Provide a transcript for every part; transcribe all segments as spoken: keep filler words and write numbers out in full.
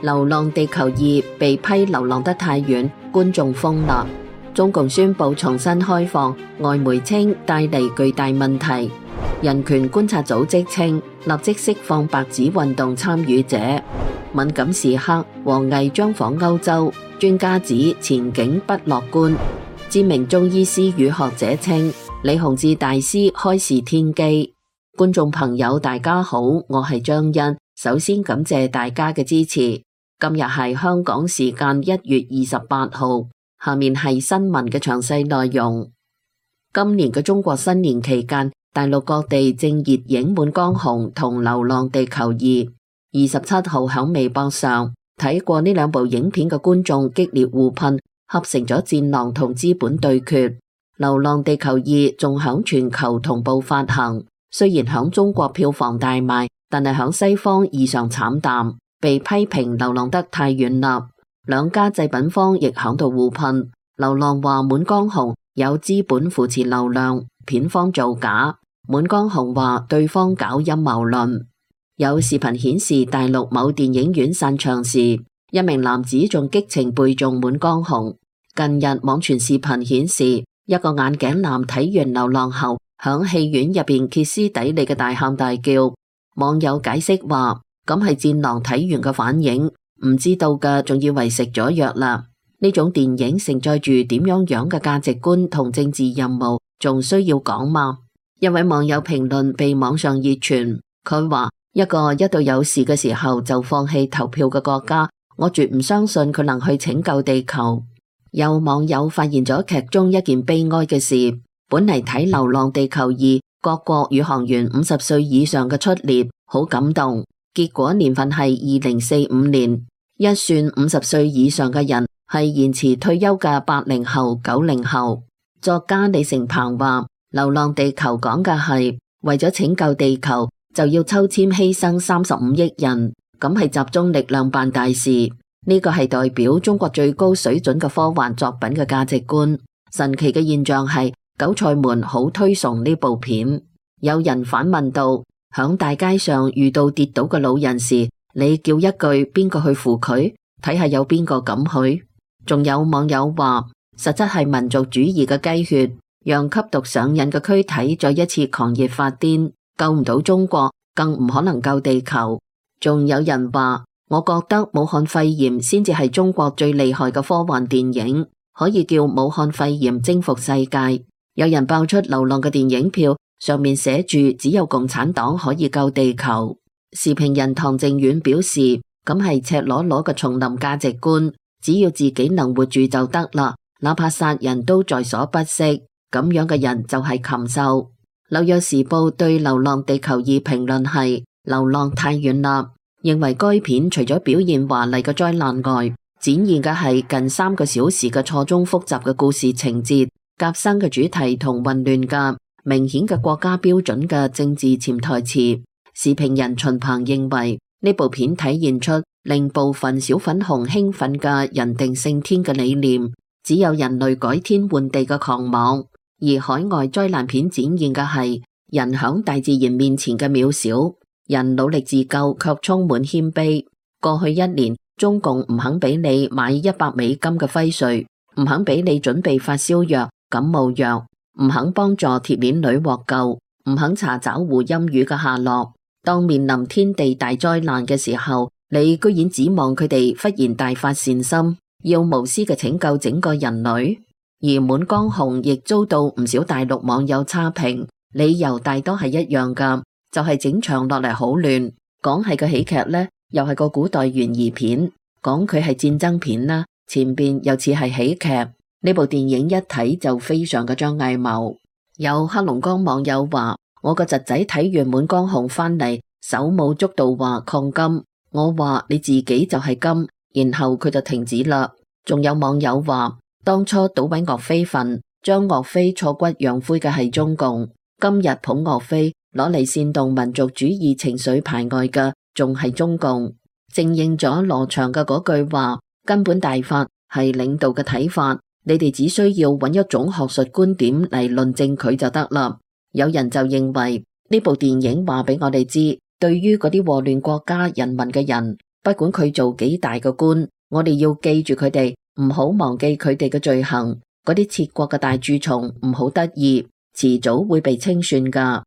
流浪地球二被批流浪得太遠，觀眾瘋啦。中共宣布重新開放，外媒稱帶嚟巨大問題。人權觀察組織稱立即釋放白紙運動參與者。敏感時刻，王毅將訪歐洲，專家指前景不樂觀。知名中醫師與學者稱李洪志大師開示天機。觀眾朋友大家好，我係張欣，首先感謝大家嘅支持。今日係香港時間一月二十八號，下面係新聞嘅詳細內容。今年嘅中國新年期間，大陸各地正熱映《滿江紅》同《流浪地球二》。二十七號喺微博上睇過呢兩部影片嘅觀眾激烈互噴，合成咗《戰狼》同資本對決。《流浪地球二》仲響全球同步發行，雖然響中國票房大賣，但係響西方異常慘淡，被批評流浪得太遠啦。兩家製品方亦響度互噴。流浪話《滿江紅》有資本扶持流量，片方造假；滿江紅話對方搞陰謀論。有視頻顯示大陸某電影院散場時，一名男子仲激情背誦《滿江紅》。近日網傳視頻顯示，一個眼鏡男睇完流浪後，響戲院入邊歇斯底里嘅大喊大叫。網友解釋話，咁係戰狼睇完嘅反應，唔知道嘅仲以為食咗藥啦。呢種電影承載住點樣樣嘅價值觀同政治任務，仲需要講嗎？一位網友評論被網上熱傳，佢話，一個一到有事嘅時候就放棄投票嘅國家，我絕唔相信佢能去拯救地球。有網友發現咗劇中一件悲哀嘅事，本嚟睇《流浪地球二》，各國宇航員五十歲以上嘅出列，好感動。結果年份係二零四五年，一算五十歲以上嘅人係延遲退休嘅八零後、九零後。作家李成鵬話，《流浪地球》講嘅係為咗拯救地球，就要抽籤犧牲三十五億人，咁係集中力量辦大事。呢個係代表中國最高水準嘅科幻作品嘅價值觀。神奇嘅現象係，韭菜們好推崇呢部片。有人反問道，響大街上遇到跌倒嘅老人時，你叫一句邊個去扶佢，睇下有邊個敢去。仲有網友話，實質係民族主義嘅雞血，讓吸毒上癮嘅軀體再一次狂熱發癲，救唔到中國，更唔可能救地球。仲有人話，我覺得武漢肺炎先至係中國最厲害嘅科幻電影，可以叫武漢肺炎征服世界。有人爆出流浪嘅電影票，上面寫住只有共產黨可以救地球。時評人唐靖遠表示，咁係赤裸裸嘅叢林價值觀，只要自己能活住就得啦，哪怕殺人都在所不惜。咁樣嘅人就係禽獸。紐約時報對《流浪地球二》評論係，流浪太遠啦，認為該片除咗表現華麗嘅災難外，展現嘅係近三個小時嘅錯綜複雜嘅故事情節、夾生嘅主題同混亂嘅明顯嘅國家標準嘅政治潛台詞。時評人秦鵬認為，呢部片體現出令部分小粉紅興奮嘅人定勝天嘅理念，只有人類改天換地嘅狂妄。而海外災難片展現嘅係人響大自然面前嘅渺小，人努力自救卻充滿謙卑。過去一年，中共唔肯俾你買一百美金嘅輝瑞，唔肯俾你準備發燒藥、感冒藥，唔肯幫助鐵鏈女獲救，唔肯查找胡鑫宇嘅下落。當面臨天地大災難嘅時候，你居然指望佢哋忽然大發善心，要無私嘅拯救整個人類。而滿江紅亦遭到唔少大陸網友差評，理由大多係一樣噶，就係、是、整場落嚟好亂，講係個喜劇呢，又係個古代懸疑片；講佢係戰爭片啦，前邊又似係喜劇。呢部電影一睇就非常嘅張藝謀。有黑龍江網友話，我個侄仔睇完滿江紅翻嚟，手舞足蹈話抗金，我話你自己就係金，然後佢就停止啦。仲有網友話，當初搗毀岳飛墳，將岳飛挫骨揚灰嘅係中共，今日捧岳飛攞嚟煽動民族主義情緒排外嘅，仲係中共。正應咗羅翔嘅嗰句話，根本大法係領導嘅睇法，你哋只需要揾一種學術觀點嚟論證佢就得啦。有人就認為呢部電影話俾我哋知，對於嗰啲禍亂國家人民嘅人，不管佢做幾大嘅官，我哋要記住佢哋，唔好忘記佢哋嘅罪行。嗰啲竊國嘅大蛀蟲唔好得意，遲早會被清算㗎。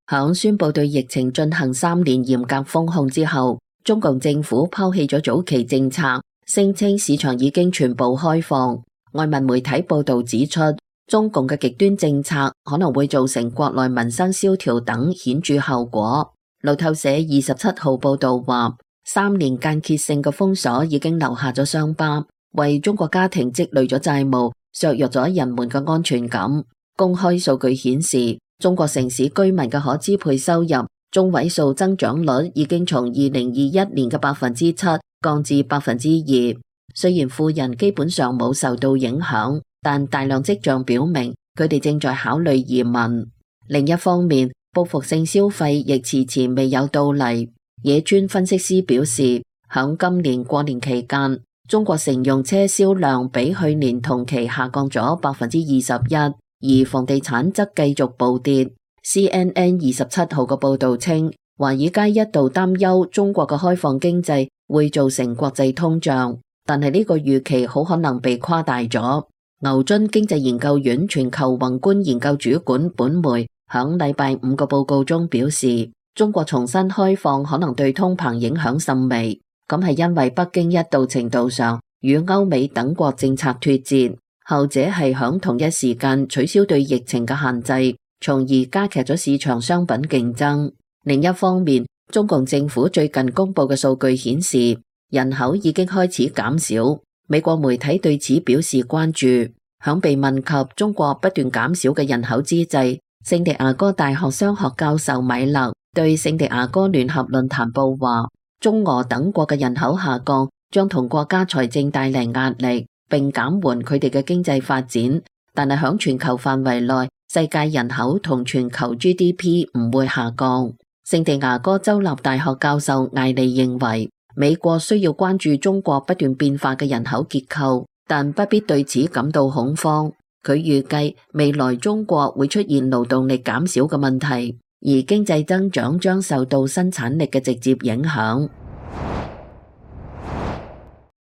響宣布對疫情進行三年嚴格封控之後，中共政府拋棄咗早期政策，聲稱市場已經全部開放。外文媒體報道指出，中共嘅極端政策可能會造成國內民生蕭條等顯著後果。路透社二十七號報道話，三年間歇性嘅封鎖已經留下咗傷疤，為中國家庭積累咗債務，削弱咗人們嘅安全感。公開數據顯示，中國城市居民嘅可支配收入中位數增長率已經從二零二一年嘅百分之七降至百分之二。雖然富人基本上冇受到影響，但大量跡象表明佢哋正在考慮移民。另一方面，報復性消費亦遲遲未有到嚟。野村分析師表示，響今年過年期間，中國乘用車銷量比去年同期下降咗百分之二十一，而房地產則繼續暴跌。C N N 二十七號嘅報道稱，華爾街一度擔憂中國嘅開放經濟會造成國際通脹，但係呢個預期好可能被誇大咗。牛津經濟研究院全球宏觀研究主管本梅響禮拜五個報告中表示，中國重新開放可能對通膨影響甚微，咁係因為北京一度程度上與歐美等國政策脫節，後者係響同一時間取消對疫情嘅限制，從而加劇咗市場商品競爭。另一方面，中共政府最近公布嘅數據顯示，人口已經開始減少。美國媒體對此表示關注。響被問及中國不斷減少嘅人口之際，聖地亞哥大學商學教授米勒對聖地亞哥聯合論壇報話，中俄等國嘅人口下降將同國家財政帶嚟壓力，並減緩佢哋嘅經濟發展。但係響全球範圍內，世界人口同全球 G D P 唔會下降。聖地亞哥州立大學教授艾利認為，美國需要關注中國不斷變化嘅人口結構，但不必對此感到恐慌。佢預計未來中國會出現勞動力減少嘅問題，而經濟增長將受到生產力嘅直接影響。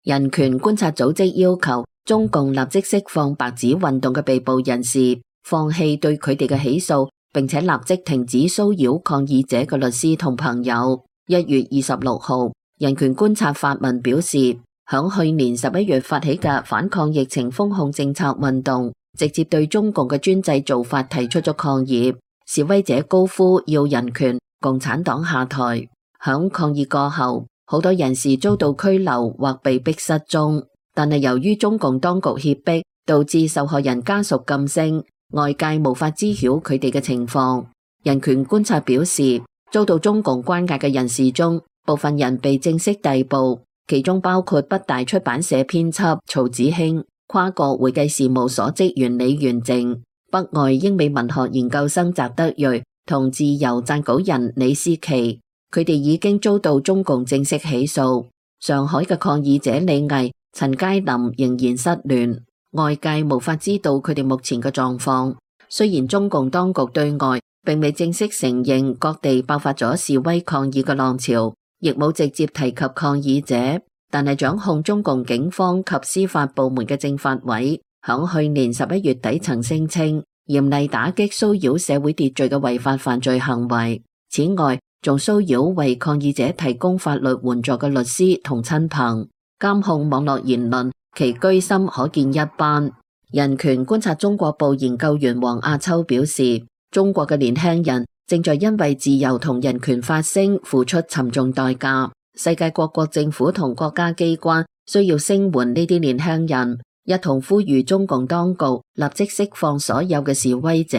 人權觀察組織要求中共立即釋放白紙運動嘅被捕人士，放棄對佢哋嘅起訴，並且立即停止騷擾抗議者嘅律師同朋友。一月二十六號，人權觀察發文表示，響去年十一月發起嘅反抗疫情封控政策運動，直接對中共嘅專制做法提出咗抗議。示威者高呼要人權、共產黨下台。響抗議過後，好多人士遭到拘留或被逼失蹤，但係由於中共當局脅迫，導致受害人家屬噤聲，外界無法知曉佢哋嘅情況。人權觀察表示，遭到中共關押嘅人士中，部分人被正式逮捕，其中包括北大出版社編輯曹子興、跨國會計事務所職員李元靜、北外英美文學研究生翟德瑞同自由撰稿人李思琪，佢哋已經遭到中共正式起訴。上海嘅抗議者李毅、陳佳林仍然失聯，外界無法知道佢哋目前嘅狀況。雖然中共當局對外並未正式承認各地爆發咗示威抗議嘅浪潮，亦冇直接提及抗議者，但係掌控中共警方及司法部門嘅政法委響去年十一月底曾聲稱嚴厲打擊騷擾社會秩序嘅違法犯罪行為。此外，仲騷擾為抗議者提供法律援助嘅律師同親朋，監控網絡言論，其居心可見一斑。人權觀察中國部研究員黃亞秋表示，中國嘅年輕人正在因為自由同人權發聲付出沉重代價，世界各國政府同國家機關需要聲援呢啲年輕人，一同呼籲中共當局立即釋放所有嘅示威者。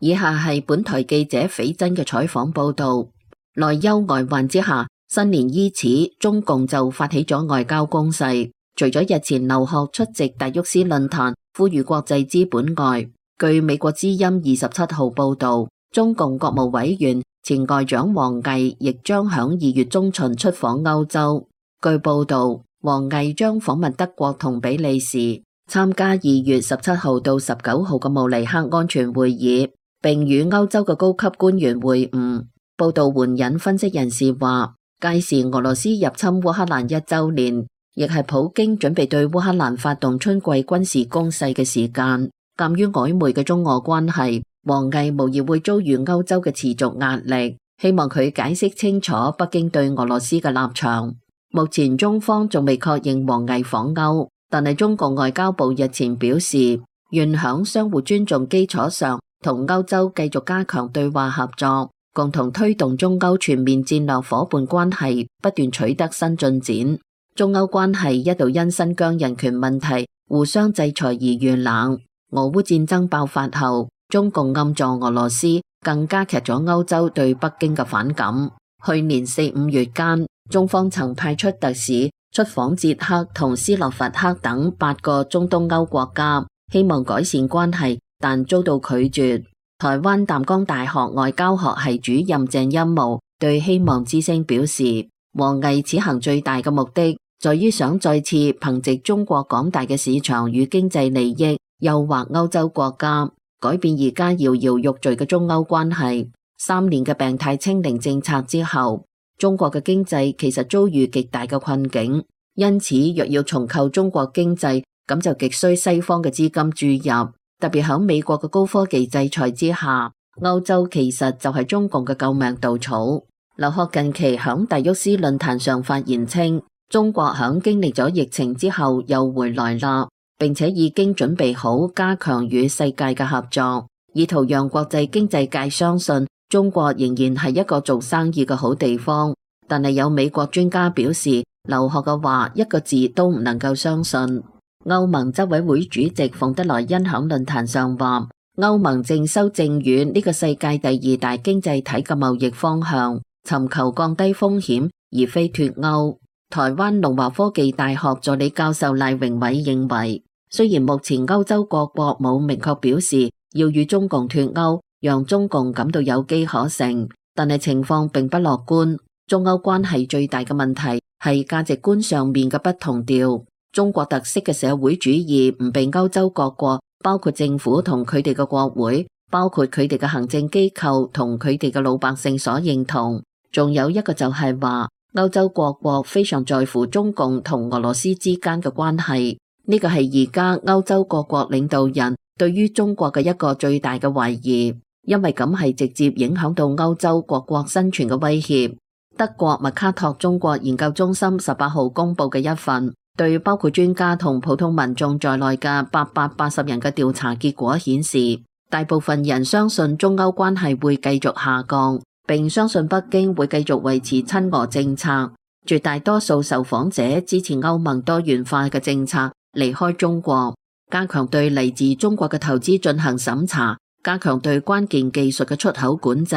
以下係本台記者斐真嘅採訪報道。內憂外患之下，新年伊始，中共就發起咗外交攻勢。除咗日前劉鶴出席達沃斯論壇呼籲國際資本外，據美國之音二十七號報道，中共國務委員前外長王毅亦將響二月中旬出訪歐洲。據報道，王毅將訪問德國同比利時，參加二月十七號到十九號嘅慕尼黑安全會議。並與歐洲嘅高級官員會晤。報道援引分析人士話，屆時俄羅斯入侵烏克蘭一週年，亦係普京準備對烏克蘭發動春季軍事攻勢嘅時間。鑑於曖昧嘅中俄關係，王毅無疑會遭遇歐洲嘅持續壓力，希望佢解釋清楚北京對俄羅斯嘅立場。目前中方仲未確認王毅訪歐，但係中國外交部日前表示，願響相互尊重基礎上，同歐洲繼續加強對話合作，共同推動中歐全面戰略夥伴關係不斷取得新進展。中歐關係一度因新疆人權問題互相制裁而遇冷。俄烏戰爭爆發後，中共暗助俄羅斯，更加劇咗歐洲對北京嘅反感。去年四五月間，中方曾派出特使出訪捷克同斯洛伐克等八個中東歐國家，希望改善關係，但遭到拒絕。台灣淡江大學外交學系主任鄭欽模對希望之聲表示，王毅此行最大嘅目的，在於想再次憑藉中國廣大嘅市場與經濟利益，誘惑歐洲國家改變而家搖搖欲墜嘅中歐關係。三年嘅病態清零政策之後，中國嘅經濟其實遭遇極大嘅困境，因此若要重構中國經濟，咁就極需西方嘅資金注入。特別喺美國嘅高科技制裁之下，歐洲其實就係中共嘅救命稻草。劉鶴近期響達沃斯論壇上發言稱，中國響經歷咗疫情之後又回來啦，並且已經準備好加強與世界嘅合作，以圖讓國際經濟界相信中國仍然係一個做生意嘅好地方。但係有美國專家表示，劉鶴嘅話一個字都唔能夠相信。歐盟執委會主席馮德萊恩響論壇上話，歐盟正修正與呢個世界第二大經濟體嘅貿易方向，尋求降低風險，而非脫歐。台灣龍華科技大學助理教授賴榮偉認為，雖然目前歐洲各國冇明確表示要與中共脫歐，讓中共感到有機可乘，但係情況並不樂觀。中歐關係最大嘅問題係價值觀上面嘅不同調。中國特色嘅社會主義唔被歐洲各國，包括政府同佢哋嘅國會，包括佢哋嘅行政機構同佢哋嘅老百姓所認同。仲有一個就係話，歐洲各國非常在乎中共同俄羅斯之間嘅關係，呢個係而家歐洲各國領導人對於中國嘅一個最大嘅懷疑，因為咁係直接影響到歐洲各國生存嘅威脅。德國麥卡托中國研究中心十八號公布嘅一份對包括專家同普通民眾在內嘅八百八十人嘅調查結果顯示，大部分人相信中歐關係會繼續下降，並相信北京會繼續維持親俄政策。絕大多數受訪者支持歐盟多元化嘅政策，離開中國，加強對嚟自中國嘅投資進行審查，加強對關鍵技術嘅出口管制，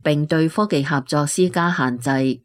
並對科技合作施加限制。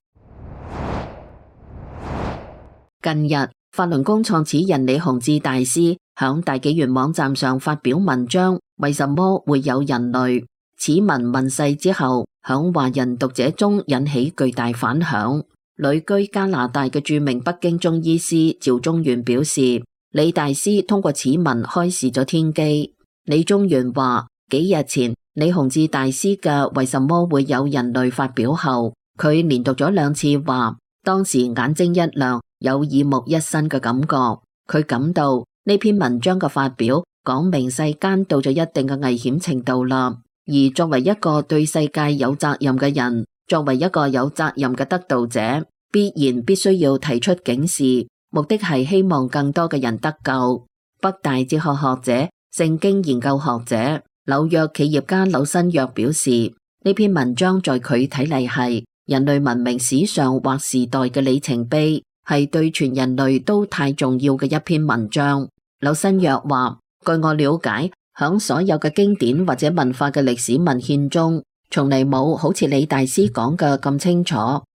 近日，法輪功創始人李洪志大師響大紀元網站上發表文章，為什麼會有人類？此文問世之後，響華人讀者中引起巨大反響。旅居加拿大嘅著名北京中醫師趙中元表示，李大師通過此文開示咗天機。李中元話，幾日前李洪志大師嘅為什麼會有人類發表後，佢連讀咗兩次話，當時眼睛一亮，有耳目一新嘅感覺。佢感到呢篇文章嘅發表講明世間到咗一定嘅危險程度啦，而作為一個對世界有責任嘅人，作為一個有責任嘅得道者，必然必須要提出警示，目的係希望更多嘅人得救。北大哲學學者、聖經研究學者、紐約企業家柳新約表示，呢篇文章在佢睇嚟係人類文明史上或時代嘅里程碑，係對全人類都太重要嘅一篇文章。柳新約話，據我了解，響所有嘅經典或者文化嘅歷史文獻中，從嚟冇好似李大師講嘅咁清楚，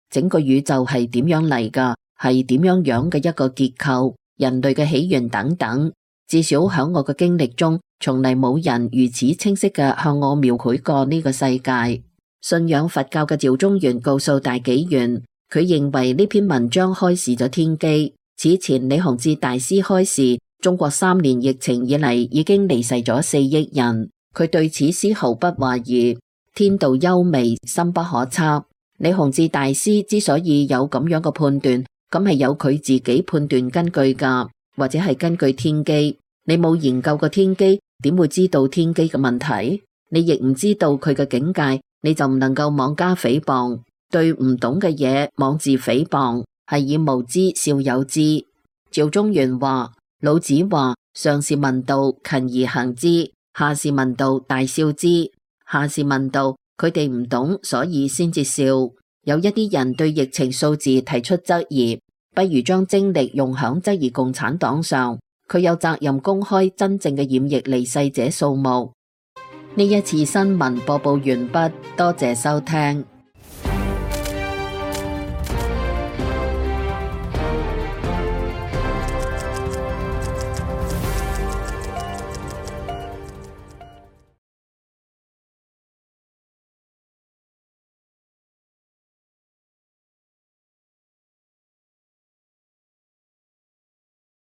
整個宇宙係點樣嚟㗎，係點樣樣嘅一個結構，人類嘅起源等等。至少響我嘅經歷中，從嚟冇人如此清晰嘅向我描繪過呢個世界。信仰佛教嘅趙中元告訴大紀元，佢認為呢篇文章開示咗天機。此前李洪志大師開示，中國三年疫情以嚟已經離世咗四億人，佢對此絲毫不懷疑。天道幽微，深不可測。李洪志大師之所以有咁樣嘅判斷，咁係有佢自己判斷根據噶，或者係根據天機。你冇研究過天機，點會知道天機嘅問題？你亦唔知道佢嘅境界，你就唔能夠妄加誹謗。對唔懂嘅嘢妄自誹謗，係以無知笑有之。趙中元話：老子話，上士聞道，勤而行之；下士聞道，大笑之。下士聞道，佢哋唔懂，所以先至笑。有一啲人對疫情數字提出質疑，不如將精力用響質疑共產黨上。佢有責任公開真正嘅染疫離世者數目。呢一次新聞播報完畢，多謝收聽。